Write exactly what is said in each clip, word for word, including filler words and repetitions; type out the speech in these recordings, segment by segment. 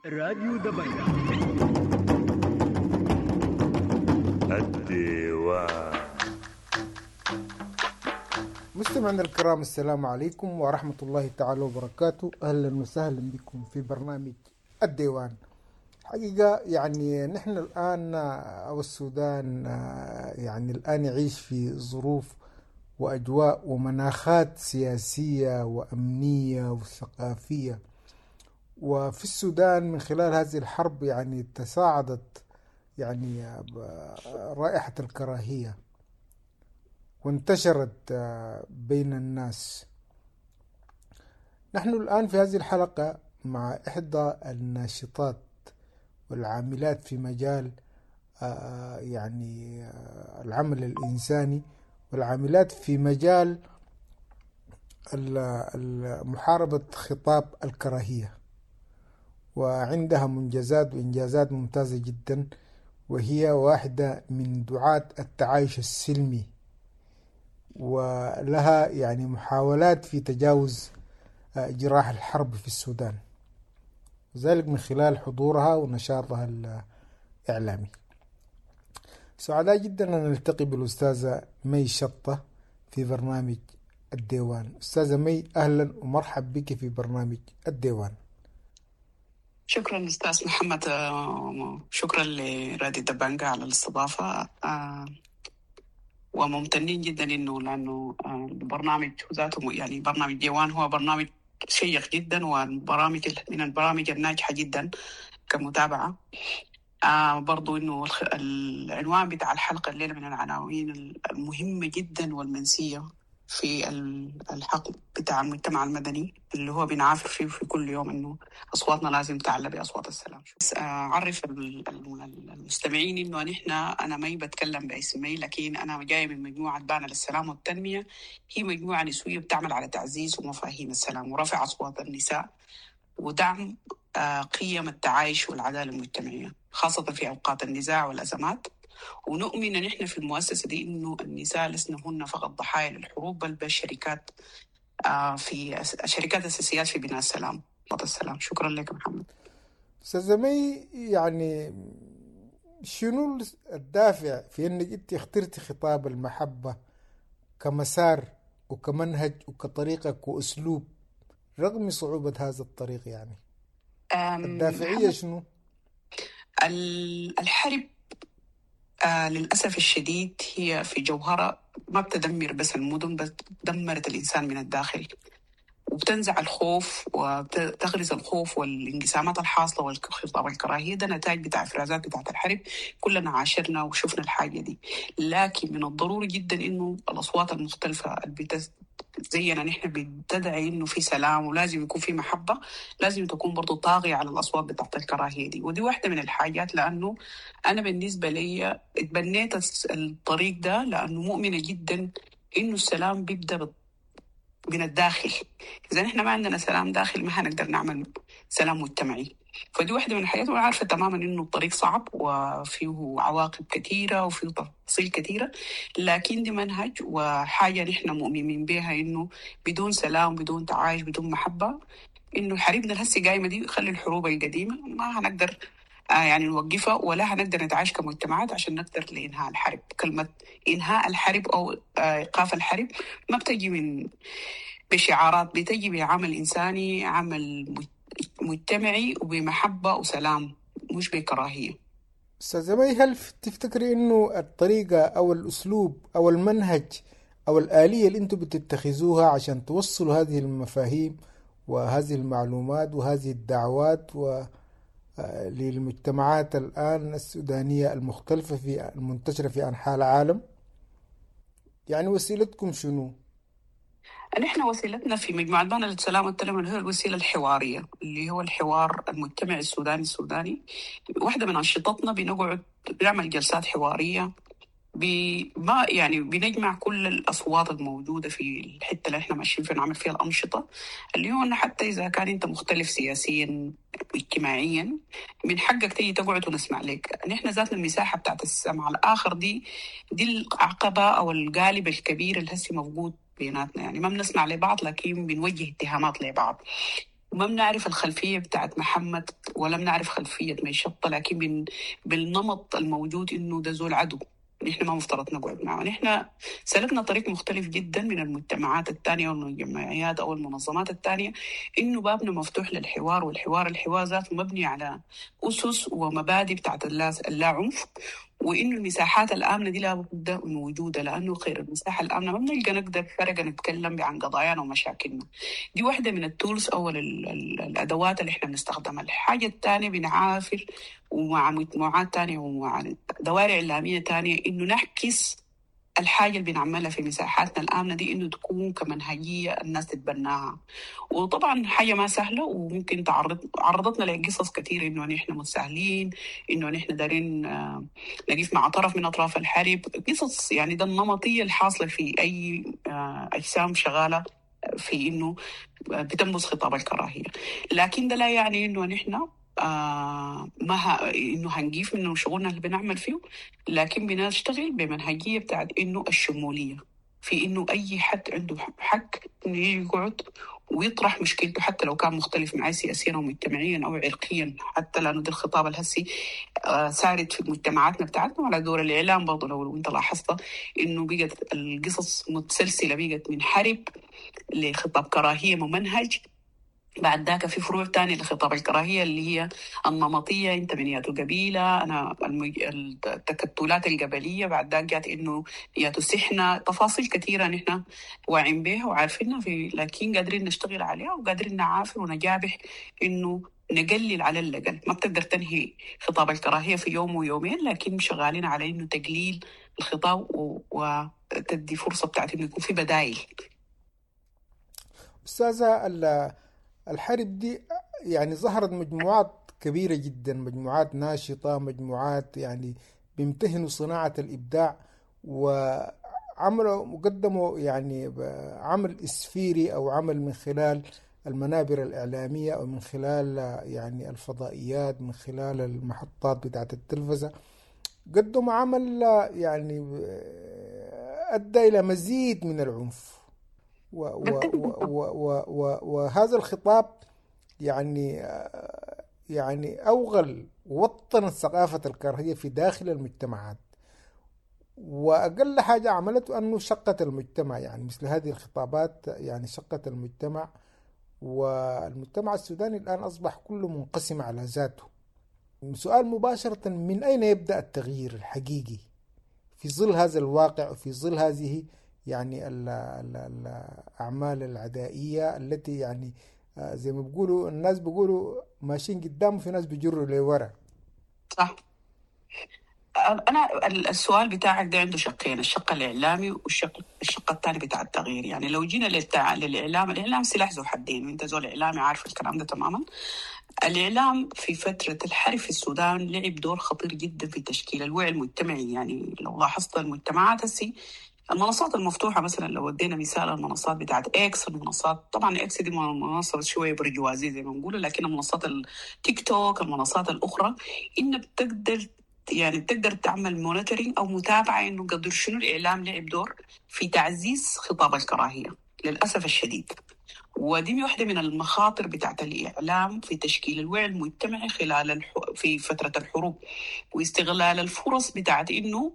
راديو دبنجة. الديوان. مستمعينا الكرام، السلام عليكم ورحمة الله تعالى وبركاته. أهلا وسهلا بكم في برنامج الديوان. حقيقة يعني نحن الآن أو السودان يعني الآن يعيش في ظروف وأجواء ومناخات سياسية وأمنية وثقافية، وفي السودان من خلال هذه الحرب يعني تصاعدت يعني رائحة الكراهية وانتشرت بين الناس. نحن الآن في هذه الحلقة مع إحدى الناشطات والعاملات في مجال يعني العمل الإنساني والعاملات في مجال محاربة خطاب الكراهية، وعندها منجزات وإنجازات ممتازة جدا، وهي واحدة من دعاة التعايش السلمي، ولها يعني محاولات في تجاوز جراح الحرب في السودان، وذلك من خلال حضورها ونشاطها الإعلامي. سعداء جدا أن نلتقي بالأستاذة مي شطة في برنامج الديوان. أستاذة مي، أهلا ومرحب بك في برنامج الديوان. شكرا أستاذ محمد، شكرا لراديو دبنجة على الاستضافة، وممتنين جدا إنه لأنه البرنامج ذاته يعني برنامج ديوان هو برنامج شيق جدا، والبرامج من البرامج الناجحة جدا كمتابعة. آه برضو إنه العنوان بتاع الحلقة الليلة من العناوين المهمة جدا والمنسية في الحق بتاع المجتمع المدني اللي هو بنعافر فيه في كل يوم، إنه أصواتنا لازم تعلى بأصوات السلام. بس أعرف المستمعين إنه نحن أنا ما بتكلم باسمي، لكن أنا جاية من مجموعة بانا للسلام والتنمية، هي مجموعة نسوية بتعمل على تعزيز ومفاهيم السلام ورفع أصوات النساء ودعم قيم التعايش والعدالة المجتمعية، خاصة في أوقات النزاع والأزمات. ونؤمن نحن في المؤسسة دي إنه النساء لسنا هن فقط ضحايا للحروب، بل بل شركات في شركات أساسيات في بناء السلام. السلام. شكرا لك محمد. أستاذة مي، يعني شنو الدافع في إنك أنت اخترتي خطاب المحبة كمسار وكمنهج وكطريقة وأسلوب رغم صعوبة هذا الطريق؟ يعني الدافعية شنو؟ الحرب آه للأسف الشديد هي في جوهرها ما بتدمر بس المدن، بس دمرت الإنسان من الداخل، وبتنزع الخوف وتغرز الخوف والانقسامات الحاصلة والخطاب الكراهية. ده نتائج بتاع إفرازات بتاعت الحرب، كلنا عاشرنا وشفنا الحاجة دي. لكن من الضروري جدا إنه الأصوات المختلفة اللي زينا نحن بتدعي إنه في سلام ولازم يكون في محبة، لازم تكون برضو طاغية على الأصوات بتاعت الكراهية دي. ودي واحدة من الحاجات، لأنه أنا بالنسبة لي اتبنيت الطريق ده لأنه مؤمنة جدا إنه السلام بيبدأ من الداخل. إذا نحن ما عندنا سلام داخل ما هنقدر نعمل سلام مجتمعي. فدي واحدة من الحاجات، وأنا عارفة تماما إنه الطريق صعب وفيه عواقب كثيرة وفيه تفاصيل كثيرة، لكن دي منهج وحاجة نحن مؤمنين بها، إنه بدون سلام بدون تعايش بدون محبة إنه حربنا الهسي قايمة دي، خلي الحروب القديمة ما هنقدر يعني نوقفها، ولا هنقدر نتعايش كمجتمعات عشان نقدر لإنهاء الحرب. كلمة إنهاء الحرب أو إيقاف الحرب ما بتجي من بشعارات، بتجي بعمل إنساني، عمل مجتمعي، وبمحبة وسلام، مش بكراهية. أستاذة مي، هل تفتكري إنه الطريقة أو الأسلوب أو المنهج أو الآلية اللي أنتم بتتخذوها عشان توصلوا هذه المفاهيم وهذه المعلومات وهذه الدعوات و للمجتمعات الآن السودانية المختلفة في المنتشرة في أنحاء العالم، يعني وسيلتكم شنو؟ نحن وسيلتنا في مجموعة بانا للسلام والتنمية هي الوسيلة الحوارية، اللي هو الحوار المجتمعي السوداني السوداني. واحدة من أنشطتنا بنقعد بنعمل جلسات حوارية، بما يعني بنجمع كل الأصوات الموجودة في الحتة اللي احنا ماشيين فيها نعمل فيها الأنشطة، اللي هو إنه حتى إذا كان أنت مختلف سياسيا اجتماعيا من حقك تيجي تقعد ونسمع لك. نحن ذاتنا المساحة بتاعت السمع الآخر دي دي العقبة أو القالب الكبير اللي هسي موجود بيناتنا، يعني ما بنسمع لبعض لكن بنوجه اتهامات لبعض. ما بنعرف الخلفية بتاعت محمد ولا بنعرف خلفية ميشطة، لكن من بالنمط الموجود إنه ده زول عدو، نحن ما مفترض نقعد معه. نحن سلكنا طريق مختلف جدا من المجتمعات الثانية والجمعيات أو المنظمات الثانية، إنه بابنا مفتوح للحوار، والحوار الحوار ذاته مبني على أسس ومبادئ بتاعت اللا عنف، وإنه المساحات الآمنة دي لابد من وجودها، لأنه خير المساحة الآمنة ما بنلقى نقدر فرقة نتكلم عن قضايانا ومشاكلنا. دي واحدة من التولز أو الأدوات اللي إحنا بنستخدمها. الحاجة الثانية بنعافر ومع مجموعات تانية ومع دوائر إعلامية تانية إنه نعكس الحاجة اللي بنعملها في مساحاتنا الآمنة دي إنه تكون كمنهجية الناس تتبناها. وطبعا حاجة ما سهلة، وممكن تعرض عرضتنا لقصص كثيرة إنه نحن متساهلين، إنه نحن دارين نقف مع طرف من أطراف الحرب، قصص يعني ده النمطية الحاصلة في أي أجسام شغالة في إنه بتنبذ خطاب الكراهية. لكن ده لا يعني إنه نحن آه ما ه... إنه هنجيف من شغلنا اللي بنعمل فيه، لكن بنشتغل بمنهجية بتاعت إنه الشمولية، في إنه أي حد عنده حق إنه يقعد ويطرح مشكلته حتى لو كان مختلف معي سياسيا أو مجتمعيا أو عرقيا، حتى لأنه ده الخطاب الهسي آه سارد في مجتمعاتنا بتاعتنا. وعلى دور الإعلام برضه لو أنت لاحظت إنه بقت القصص متسلسلة، بقت من حرب لخطاب كراهية ممنهج، بعد ذاك في فروع تانية لخطاب الكراهية اللي هي النمطية، انت من ياتو قبيلة، أنا المج... التكتلات القبلية، بعد ذاك جات إنه ياتو سحنة، تفاصيل كثيرة نحن واعين بها وعارفينها في، لكن قادرين نشتغل عليها وقادرين نعافر ونجابح إنه نقلل على الأقل. ما بتقدر تنهي خطاب الكراهية في يوم ويومين، لكن شغالين على إنه تقليل الخطاب و... وتدي فرصة بتاعت إنه يكون في بدائل. أستاذة، الحرب دي يعني ظهرت مجموعات كبيرة جدا، مجموعات ناشطة، مجموعات يعني بيمتهنوا صناعة الإبداع، وعملوا وقدموا يعني عمل إسفيري أو عمل من خلال المنابر الإعلامية أو من خلال يعني الفضائيات، من خلال المحطات بتاعة التلفزة، قدموا عمل يعني أدى إلى مزيد من العنف. و و و وهذا الخطاب يعني يعني أوغل ووطن ثقافة الكراهية في داخل المجتمعات، وأقل حاجة عملته أنه شقت المجتمع، يعني مثل هذه الخطابات يعني شقت المجتمع، والمجتمع السوداني الآن أصبح كله منقسم على ذاته. سؤال مباشرة، من أين يبدأ التغيير الحقيقي في ظل هذا الواقع وفي ظل هذه يعني ال ال الأعمال العدائية التي يعني زي ما بيقولوا الناس بيقولوا ماشيين قدام وفي ناس بيجروا لورا؟ صح. أنا السؤال بتاعك ده عنده شقين، الشق الإعلامي والشق الشق الثاني بتاع التغيير. يعني لو جينا للتع... للإعلام، الإعلام سلاح ذو حدين، وأنت زول إعلامي عارف الكلام ده تماما. الإعلام في فترة الحرب في السودان لعب دور خطير جدا في تشكيل الوعي المجتمعي. يعني لو لاحظت المجتمعات هسي المنصات المفتوحة مثلا، لو ودينا مثال المنصات بتاعت اكس، المنصات طبعا اكس دي منصة شوية برجوازية زي ما نقول، لكن المنصات التيك توك، المنصات الأخرى، إن بتقدر يعني بتقدر تعمل monitoring أو متابعة إنه قدر شنو الإعلام لعب دور في تعزيز خطاب الكراهية للأسف الشديد. ودي واحدة من المخاطر بتاعت الإعلام في تشكيل الوعي المجتمعي خلال الح... في فترة الحروب، واستغلال الفرص بتاعت إنه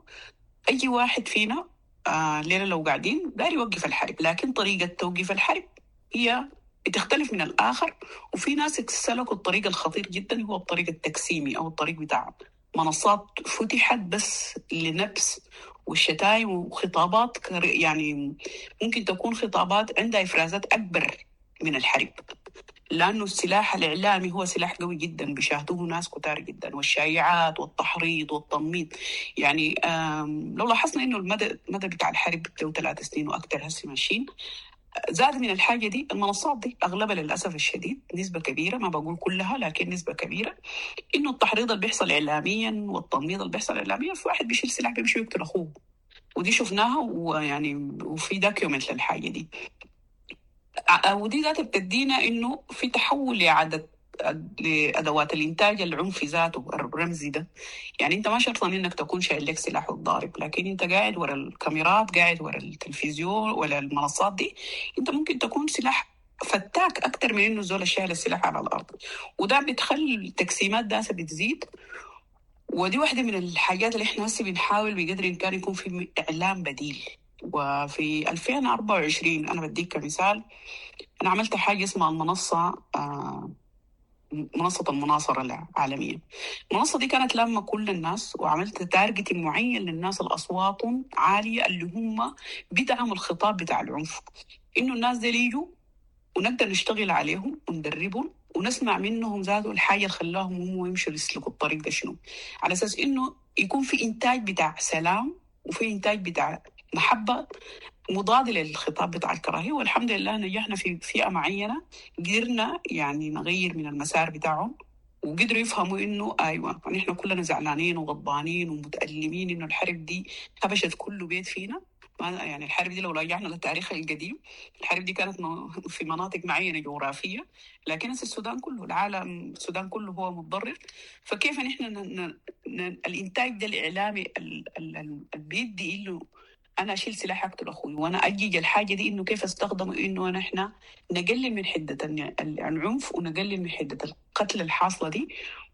أي واحد فينا آه ليلة لو قاعدين داري يوقف الحرب، لكن طريقة توقيف الحرب هي بتختلف من الآخر. وفي ناس سلكوا الطريق الخطير جدا، هو الطريق التقسيمي أو الطريق بتاع منصات فتحت بس لنبس والشتايم وخطابات، يعني ممكن تكون خطابات عندها إفرازات أكبر من الحرب، لأنه السلاح الإعلامي هو سلاح قوي جدا بيشاهدوه ناس كتار جدا، والشائعات والتحريض والتنميط. يعني لو لاحظنا إنه المدى المدى بتاع الحرب له ثلاث سنين وأكثر هسه ماشيين، زاد من الحاجة دي المنصات دي أغلبها للأسف الشديد نسبة كبيرة، ما بقول كلها لكن نسبة كبيرة، إنه التحريض اللي بيحصل إعلاميا والتنميط اللي بيحصل إعلاميا، في واحد بيشيل سلاح بيمشي يقتل أخوه، ودي شفناها ويعني وفي document للحاجة دي. ودي ذاتها بتدينا إنه في تحول لعدد لأدوات الإنتاج العنفي ذاته الرمزي ده. يعني أنت ما شرط إنك تكون شايل لك سلاح وتضارب، لكن أنت قاعد ورا الكاميرات، قاعد ورا التلفزيون ولا المنصات دي، أنت ممكن تكون سلاح فتاك اكثر من انه زول شايل السلاح على الارض، وده بتخلي التقسيمات داسه بتزيد. ودي واحدة من الحاجات اللي احنا هسه بنحاول بقدر الامكان يكون في اعلام بديل. وفي ألفين وأربعة وعشرين انا بديك كمثال، انا عملت حاجة اسمها المنصة، آه منصة المناصره العالمية. المنصة دي كانت لما كل الناس، وعملت target معين للناس الاصواتهم عالية اللي هم بيدعموا الخطاب بتاع العنف، انه الناس دي يجوا ونقدر نشتغل عليهم وندربهم ونسمع منهم ذاته الحاجة اللي خلاهم هم يمشوا يسلكوا الطريق ده شنو، على اساس انه يكون في انتاج بتاع سلام وفي انتاج بتاع محبة مضاد للخطاب بتاع الكراهية. والحمد لله نجحنا في فئة معينة، قدرنا يعني نغير من المسار بتاعهم، وقدروا يفهموا انه ايوه نحن كلنا زعلانين وغضبانين ومتألمين انه الحرب دي هبشت كل بيت فينا. يعني الحرب دي لو رجعنا للتاريخ القديم، الحرب دي كانت في مناطق معينة جغرافية، لكن السودان كله، العالم السودان كله هو متضرر. فكيف نحن ن... ن... الانتاج ده الاعلامي اللي بيدي انه انا اشيل سلاح اقتل اخوي وانا اجيج الحاجة دي، انه كيف استخدمه انه نحن نقلل من حده العنف ونقلل من حده القتل الحاصلة دي.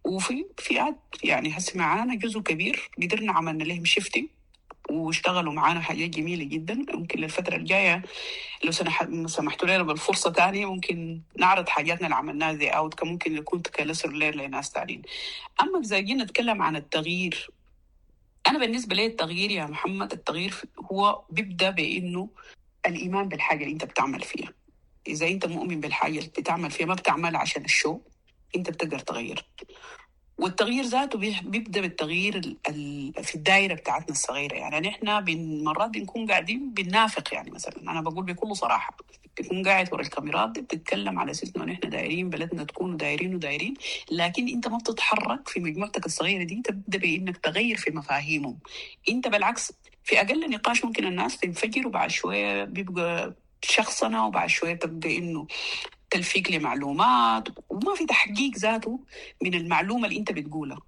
وفي فئات يعني هسه معانا جزء كبير قدرنا عملنا لهم شيفتنج واشتغلوا معانا حاجات جميلة جدا. ممكن للفترة الجاية لو سمحتوا لنا بالفرصة تانية ممكن نعرض حاجاتنا اللي عملناها زي اوت، ممكن يكون تكلسر لناس تانيين. اما اذا جينا نتكلم عن التغيير، أنا بالنسبة لي التغيير يا محمد، التغيير هو بيبدأ بإنه الإيمان بالحاجة اللي أنت بتعمل فيها. إذا أنت مؤمن بالحاجة اللي بتعمل فيها، ما بتعملها عشان الشو، أنت بتقدر تغير. والتغيير ذاته بيبدأ بالتغيير في الدائرة بتاعتنا الصغيرة. يعني نحن مرات بنكون قاعدين بننافق، يعني مثلا أنا بقول بكل صراحة، بتكون قاعد ورا الكاميرات دي بتتكلم على أساس إنه نحن دايرين بلدنا تكون ودايرين ودايرين، لكن أنت ما بتتحرك في مجموعتك الصغيرة دي، تبدأ بإنك تغير في مفاهيمهم. أنت بالعكس في أقل نقاش ممكن الناس تنفجر، وبعد شوية بيبقى شخصنا، وبعد شوية تبدأ إنه تلفيق لمعلومات، وما في تحقيق ذاته من المعلومة اللي أنت بتقولها،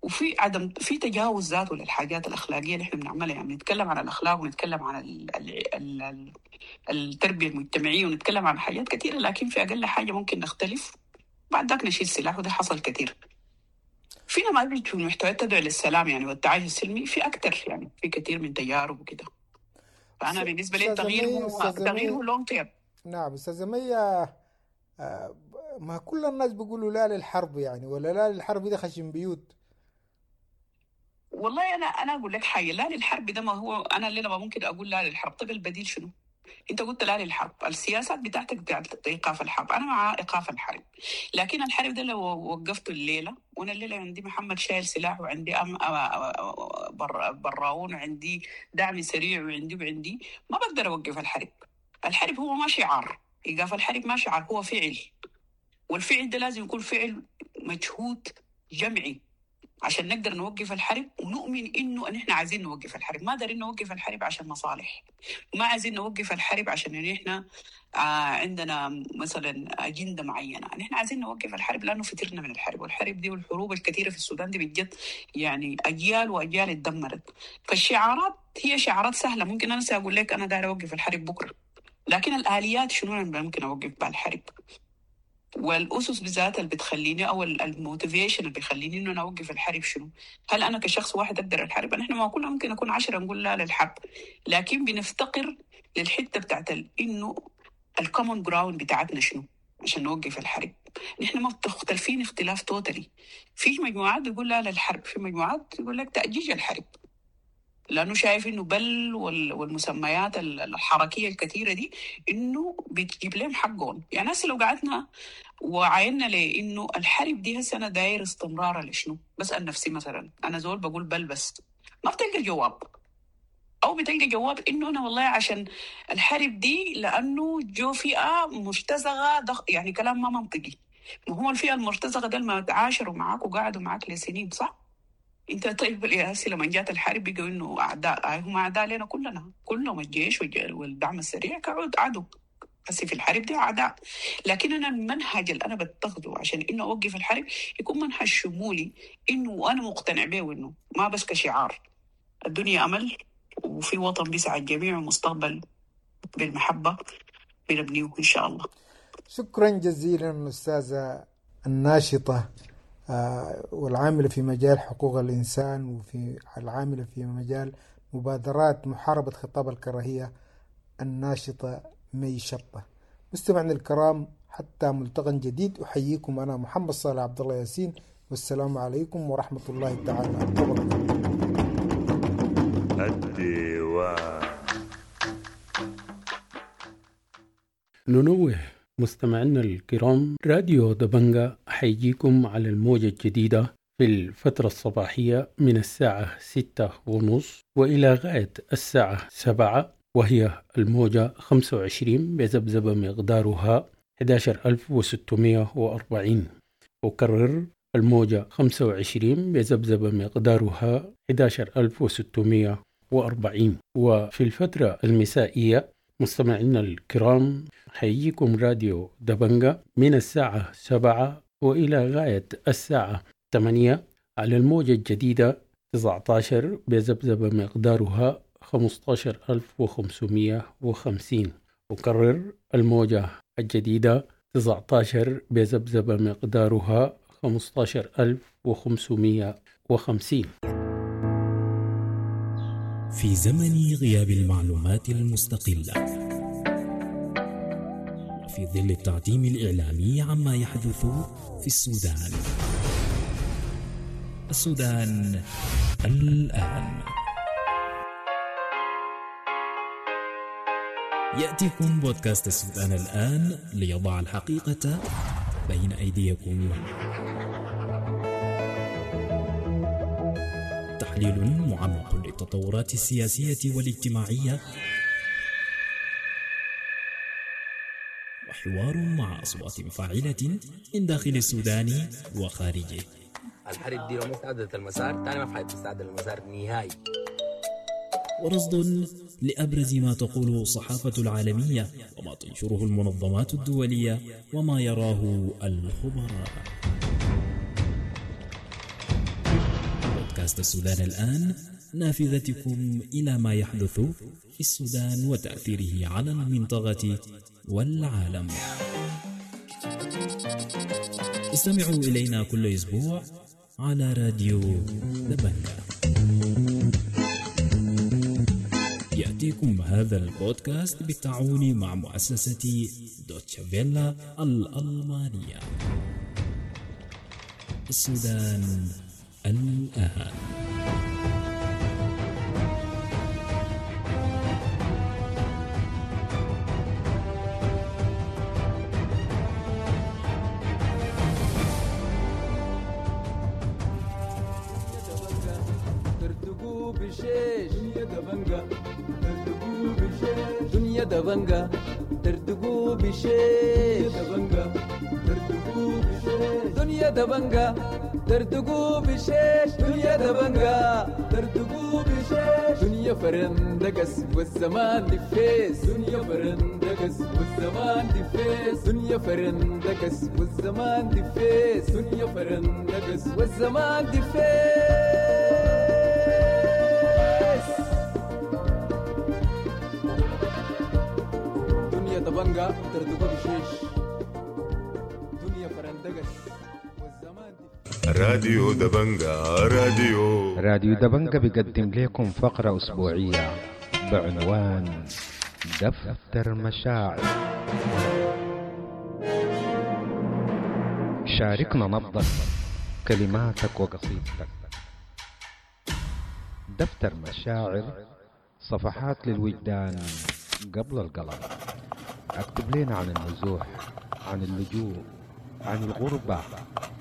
وفي عدم في تجاوز ذاته للحاجات الأخلاقية اللي إحنا بنعملها. يعني نتكلم عن الأخلاق ونتكلم عن ال ال ال التربية المجتمعية ونتكلم عن حاجات كثيرة، لكن في أقل حاجة ممكن نختلف بعد ذاك نشيل سلاح، وده حصل كثير. في نماذج في المحتويات تدعو للسلام يعني والتعايش السلمي في أكثر، يعني في كثير من تجارب وكده. فأنا بالنسبة لي التغيير هو التغيير هو long term. نعم أستاذة مي، ما كل الناس بيقولوا لا للحرب يعني، ولا لا للحرب ده خشم بيوت. والله أنا أنا أقول لك حاجة، لا للحرب ده ما هو أنا اللي ما ممكن أقول لا للحرب. طب البديل شنو؟ أنت قلت لا للحرب، السياسات بتاعتك بتاعت إيقاف الحرب، أنا مع إيقاف الحرب، لكن الحرب ده لو وقفته الليلة، وأنا الليلة عندي محمد شايل سلاح، وعندي أم بر براون، وعندي دعم سريع، وعندي وعندي ما بقدر أوقف الحرب. الحرب هو ما شعار، إيقاف الحرب ما شعار، هو فعل، والفعل ده لازم يكون فعل مجهود جمعي عشان نقدر نوقف الحرب ونؤمن إنه نحن عايزين نوقف الحرب. ما دارين نوقف الحرب عشان مصالح، ما عايزين نوقف الحرب عشان نحن عندنا مثلا أجندة معينة، نحن عايزين نوقف الحرب لأنه فترنا من الحرب، والحرب دي والحروب الكثيرة في السودان دي بجد يعني أجيال وأجيال اتدمرت. فالشعارات هي شعارات سهلة، ممكن أنا سأقول لك أنا داير أوقف الحرب بكرة، لكن الآليات شنو أنا ممكن أوقف بها الحرب، والأسس بذاتها اللي بتخليني أو ال motivation اللي بيخليني إنه أنا أوقف الحرب شنو؟ هل أنا كشخص واحد أقدر الحرب؟ نحن ما كلنا ممكن نكون عشرة نقول لا للحرب، لكن بنفتقر للحتة بتاعت إنه ال common ground بتاعتنا شنو عشان نوقف الحرب. نحن ما مختلفين اختلاف totally، في مجموعات بيقول لا للحرب، في مجموعات يقول لك تأجيج الحرب، لأنه شايف إنه بل والمسميات الحركية الكثيرة دي إنه بتجيب لهم حقهم. يعني هسه لو قعدنا وعاينا لإنه الحرب دي هسه أنا داير استمرارها لشنو؟ بسأل نفسي مثلا أنا زول بقول بل بس ما بتلقى جواب، أو بتلقى جواب إنه أنا والله عشان الحرب دي لأنه جو فئة مرتزقة دخ... يعني كلام ما منطقي. ما هو الفئة المرتزقة ده ما تعاشروا معاك وقعدوا معاك لسنين صح؟ انت طيب يا هسي لما جات الحرب بقوا انه اعداء، هم اعداء لنا كلنا، كلهم الجيش والدعم السريع كعود عدو هسي في الحرب دي اعداء. لكن انا المنهج اللي انا بتخذه عشان انه اوقف الحرب يكون منهج شمولي، انه انا مقتنع به، وانه ما بس كشعار. الدنيا امل، وفي وطن بيسعى الجميع، ومستقبل بالمحبة بنبنيه ان شاء الله. شكرا جزيلا أستاذة الناشطة والعاملة في مجال حقوق الإنسان وفي العاملة في مجال مبادرات محاربة خطاب الكراهية، الناشطة مي شطة. مستمعينا الكرام، حتى ملتقى جديد، أحييكم أنا محمد صالح عبد الله ياسين، والسلام عليكم ورحمة الله تعالى وبركاته. الديوان. ننوه مستمعينا الكرام، راديو دبنجا حيجيكم على الموجة الجديدة في الفترة الصباحية من الساعة ستة ونص وإلى غاية الساعة سبعة، وهي الموجة خمسة وعشرين بذبذبة مقدارها أحد عشر ألف وستمائة وأربعين. أكرر، الموجة خمسة وعشرين بذبذبة مقدارها أحد عشر ألف وستمائة وأربعين. وفي الفترة المسائية مستمعينا الكرام حيجيكم راديو دبنجا من الساعة سبعة وإلى غاية الساعة ثمانية على الموجة الجديدة تسعة عشر بذبذبة مقدارها خمسة عشر ألف وخمسمائة وخمسين. أكرر، الموجة الجديدة تسعة عشر بذبذبة مقدارها خمسة عشر ألف وخمسمائة وخمسين. في زمن غياب المعلومات المستقلة وفي ظل التعتيم الإعلامي عما يحدث في السودان، السودان الآن يأتيكم بودكاست السودان الآن ليضع الحقيقة بين أيديكم. تحليل معمق للتطورات السياسية والاجتماعية، وحوار مع أصوات فاعلة من داخل السودان وخارجه. الحرب دي لو ما استعدلت المسار تاني ما في حد تستعدل المسار نهائي. ورصد لأبرز ما تقوله الصحافة العالمية وما تنشره المنظمات الدولية وما يراه الخبراء. بودكاست السودان الآن، نافذتكم إلى ما يحدث في السودان وتأثيره على المنطقة والعالم. استمعوا إلينا كل أسبوع على راديو دبنجا. يأتيكم هذا البودكاست بالتعاون مع مؤسسة دوتشا فيلا الألمانية. السودان الآن. دنيا دبنجا تردقوا بشيش، دنيا دبنجا تردقوا بشيش، دنيا دبنجا تردقوا بشيش، دنيا فرندقس والزمان دفيس، دنيا فرندقس والزمان دفيس، دنيا فرندقس والزمان دفيس، دنيا فرندقس والزمان دفيس. دبنجا تردقوا بشيش، دنيا فرندقس والزمان. راديو دبنجا، راديو راديو دبنجا بيقدم لكم فقرة أسبوعية بعنوان دفتر مشاعر. شاركنا نبضك، كلماتك وقصيدتك. دفتر مشاعر، صفحات للوجدان قبل القلم. اكتب لنا عن النزوح، عن اللجوء، عن الغربة،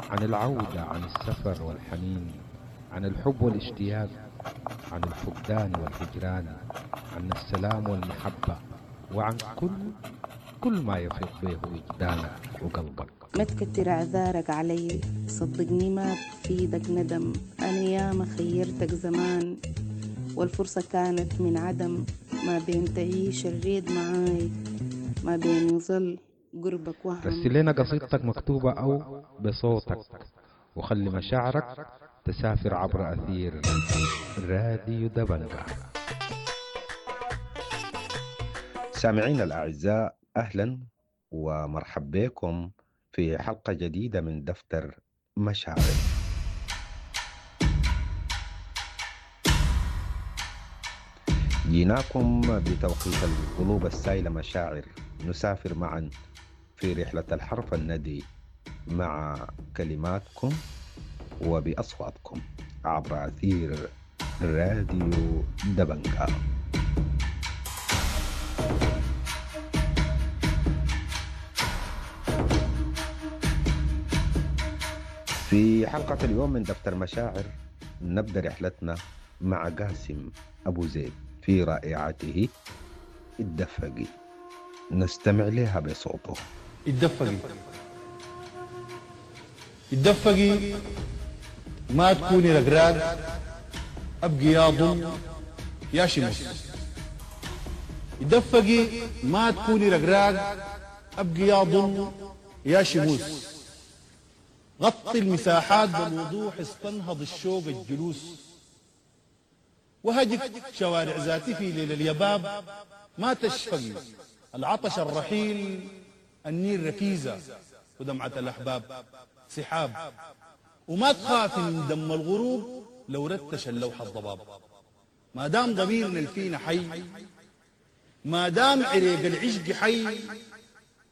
عن العودة، عن السفر والحنين، عن الحب والاشتياق، عن الفقدان والهجران، عن السلام والمحبة، وعن كل كل ما يفيض به وجدانك وقلبك. ما تكتر اعذارك علي، صدقني ما بفيدك ندم، انا ياما خيرتك زمان والفرصة كانت من عدم، ما بين تعيش الريد معاي، ما بين يظل قربك وهم. رسل لنا قصيدتك مكتوبة أو بصوتك، وخلي مشاعرك تسافر عبر أثير راديو دبنجا. سامعينا الأعزاء، أهلا ومرحب بكم في حلقة جديدة من دفتر مشاعر. جيناكم بتوقيت القلوب السايلة مشاعر، نسافر معا في رحلة الحرف الندي مع كلماتكم وبأصواتكم عبر أثير راديو دبنكا. في حلقة اليوم من دفتر مشاعر نبدأ رحلتنا مع قاسم أبو زيد في رائعته الدفقي، نستمع لها بصوته. اتدفقي اتدفقي ما تكوني رقراق، ابقي يا ضل يا شمس. اتدفقي ما تكوني رقراق، ابقي يا ضل يا شموس. غطي المساحات بالوضوح، استنهض الشوق الجلوس. وهجك شوارع ذاتي في ليل اليباب، ما تشفقي العطش الرحيل، النيل ركيزة ودمعة الأحباب سحاب. وما تخافي من دم الغروب لو رتش اللوحة الضباب. ما دام ضميرنا الفينا حي، ما دام عريق العشق حي،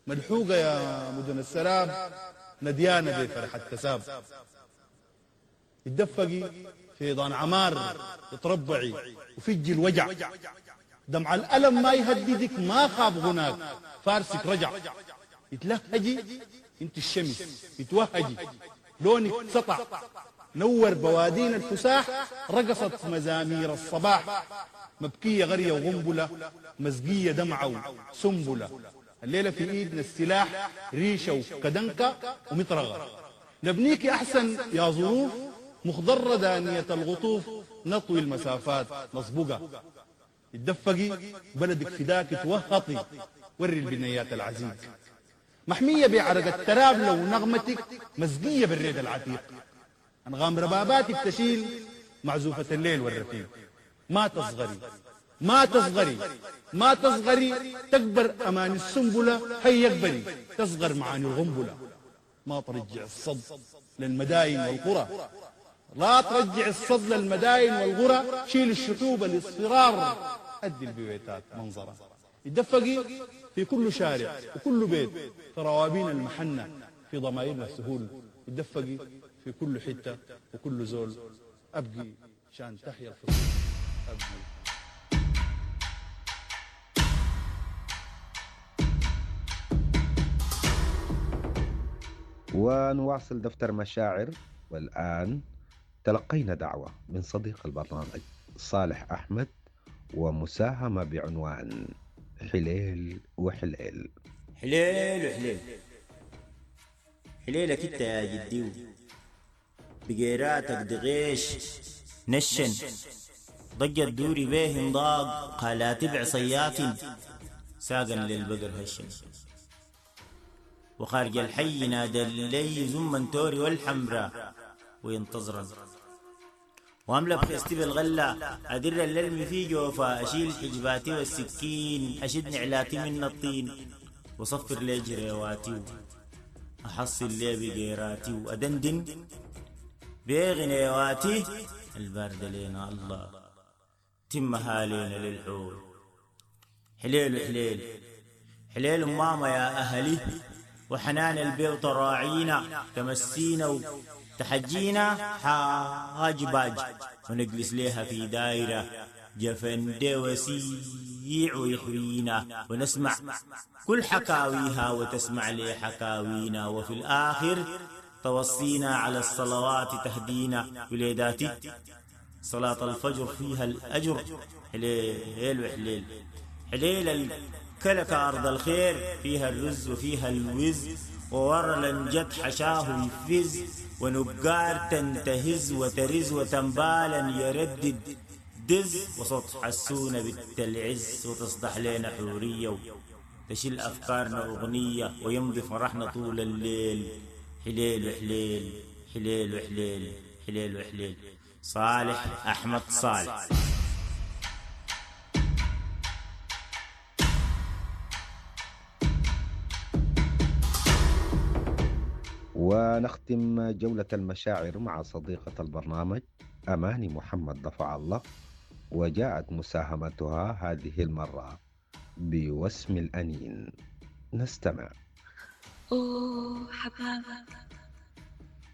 ملحوقة يا مدن السراب نديانة بفرحة كساب. اتدفقي في ضان عمار اتربعي وفجي الوجع، دمع الألم ما يهددك ما خاب غناك فارسك رجع. اتلهجي انت الشمس اتوهجي لونك سطع، نور بوادين الفساح رقصت مزامير الصباح. مبكية غرية وغنبلة مزقية دمعة وسنبلة، الليلة في ايدنا السلاح ريشة وكدنكة ومطرغة. نبنيك أحسن يا ظروف مخضرة دانية الغطوف، نطوي المسافات نصبقة. اتدفقي بلدك فداك توهطي وري البنيات العزيز. محمية بعرق التراب لو نغمتك مزقية بالريد العتيق. أنغام رباباتك تشيل معزوفة الليل والرفيق. ما تصغري ما تصغري ما تصغري، تكبر أمان السنبلة هي يكبري، تصغر معاني الغنبلة. ما ترجع الصد للمداين والقرى، لا ترجع الصد للمداين والقرى، شيل الشحوب الاصفرار أدي البيوتات منظرة. اتدفقي في كل شارع وكل بيت، في روابين المحنة في ضمائرنا السهول. اتدفقي في كل حتة وكل زول، أبقي شان تحيا الفصول أبقي. ونواصل دفتر مشاعر، والآن تلقينا دعوة من صديق البرنامج صالح أحمد ومساهمة بعنوان حليل وحليل. حليل وحليل، حليلك انت يا جديو، بقيراتك دغيش نشن ضجت دوري بيهن ضاق قالات بعصيات ساقا للبقر هشن. وخارج الحي نادى لي زمن توري والحمراء وينتظرن، واملا بخيستي بالغلة أدر الللم في جوفا، أشيل حجباتي والسكين أشد نعلاتي من الطين، وصفر لي جريواتي أحصل لي بقيراتي وأدندن بغنيواتي الباردة لينا الله تمها لينا للحول. حليل وحليل حليل ماما يا أهلي، وحنان البيوت راعينا تمسينا وتحجينا حاج باج، ونجلس ليها في دايرة جفن وسيع ويحوينا، ونسمع كل حكاويها وتسمع لي حكاوينا، وفي الآخر توصينا على الصلوات تهدينا وليداتي صلاة الفجر فيها الأجر. حليل وحليل حليل الكلك أرض الخير، فيها الرز وفيها الوز، وورلا جد حشاه يفز، ونقار تنتهز وترز، وتنبالا يردد دز، وصوت حسونا بالتلعز، وتصدح لنا حورية تشيل أفكارنا أغنية، ويمضي فرحنا طول الليل. حليل وحليل حليل وحليل حليل وحليل. صالح أحمد صالح. ونختم جولة المشاعر مع صديقة البرنامج أماني محمد دفع الله، وجاءت مساهمتها هذه المرة بوسم الأنين. نستمع. أوه حبابك،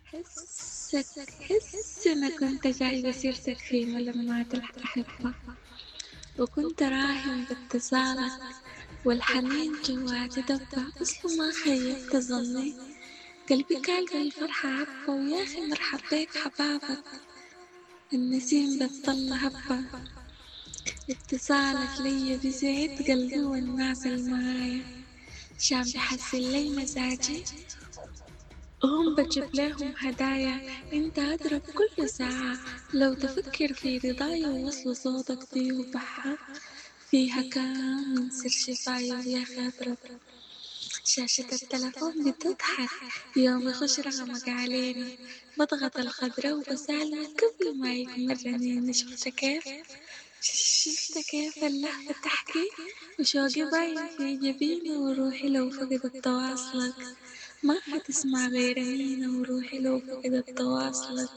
حسك حس أنا كنت جايبة سيرتك في ملمات الأحبة، وكنت راهن باتصالك والحنين جواتي دبة. أصله ما خيبت ظني، قلبي كان بالفرحة عبة. ويا أخي مرحب بيك حبابك، النسيم بالطلة هبة. اتصالك ليا بزيت قلبي والناس المعايا، شام بحسن لي مزاجي وهم بجيب لهم هدايا. انت اضرب كل ساعة لو تفكر في رضايا، ووصل صوتك فيه بحة فيها كام من سر شفايا. ويا أخي اضرب شاشة التلفون بتضحك يوم يخش رقمك علينا، بضغط الخضرة وبسألك قبل ما يكمل رنيني. شفت كيف شفت كيف اللهفة تحكي، وشوقي باين في جبيني. وروحي لو فقدت تواصلك ما حتسمع غير أنينة. وروحي لو فقدت تواصلك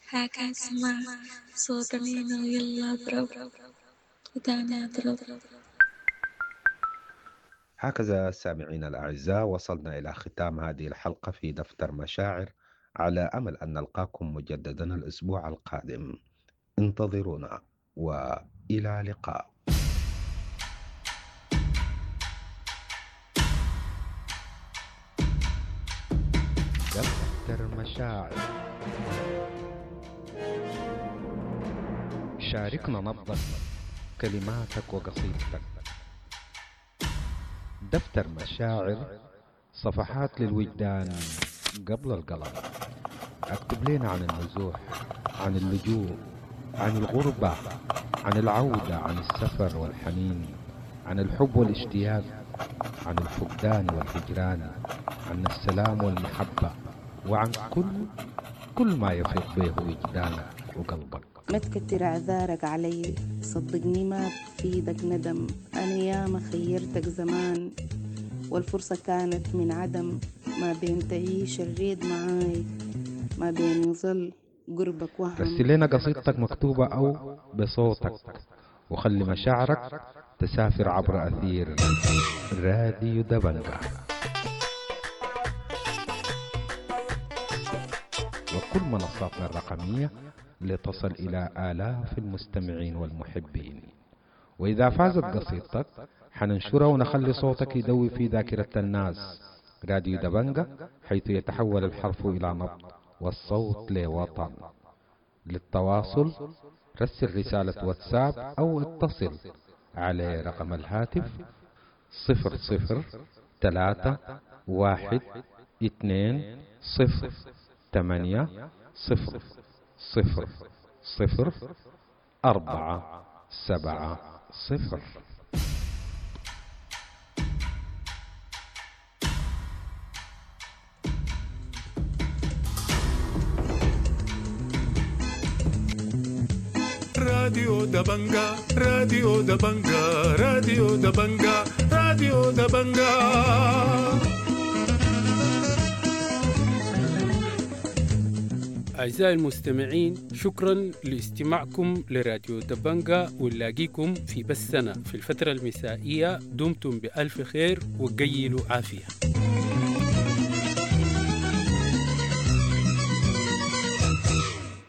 هاك اسمع صوت أنينة. ويلا اضرب وتاني اضرب. هكذا سامعينا الأعزاء وصلنا إلى ختام هذه الحلقة في دفتر مشاعر، على أمل أن نلقاكم مجددا الأسبوع القادم. انتظرونا وإلى لقاء. دفتر مشاعر، شاركنا نبضك، كلماتك وقصيدتك. دفتر مشاعر، صفحات للوجدان قبل القلم. اكتب لنا عن النزوح، عن اللجوء، عن الغربة، عن العودة، عن السفر والحنين، عن الحب والاشتياق، عن الفقدان والهجران، عن السلام والمحبة، وعن كل كل ما يفيض به وجدانك وقلبك. ما تكتر اعذارك علي، صدقني ما بفيدك ندم. أنا ياما خيرتك زمان والفرصة كانت من عدم. ما بين تعيش الريد معاي، ما بين يظل قربك وهم. رسل لنا قصيدتك مكتوبة أو بصوتك، وخلي مشاعرك تسافر عبر أثير راديو دبنجا وكل منصاتنا الرقمية لتصل إلى آلاف المستمعين والمحبين. وإذا فازت قصيدتك حننشرها ونخلي صوتك يدوي في ذاكرة الناس. راديو دبنجا، حيث يتحول الحرف إلى نبض والصوت لوطن. للتواصل رسل رسالة واتساب أو اتصل على رقم الهاتف صفر صفر ثلاثة واحد اثنين صفر ثمانية صفر صفر صفر أربعة سبعة صفر. راديو دبنجا، راديو دبنجا، راديو دبنجا، راديو دبنجا. أعزائي المستمعين، شكرا لاستماعكم لراديو دبنجا، ونلاقيكم في بثنا في الفترة المسائية. دمتم بألف خير وقيلوا عافية.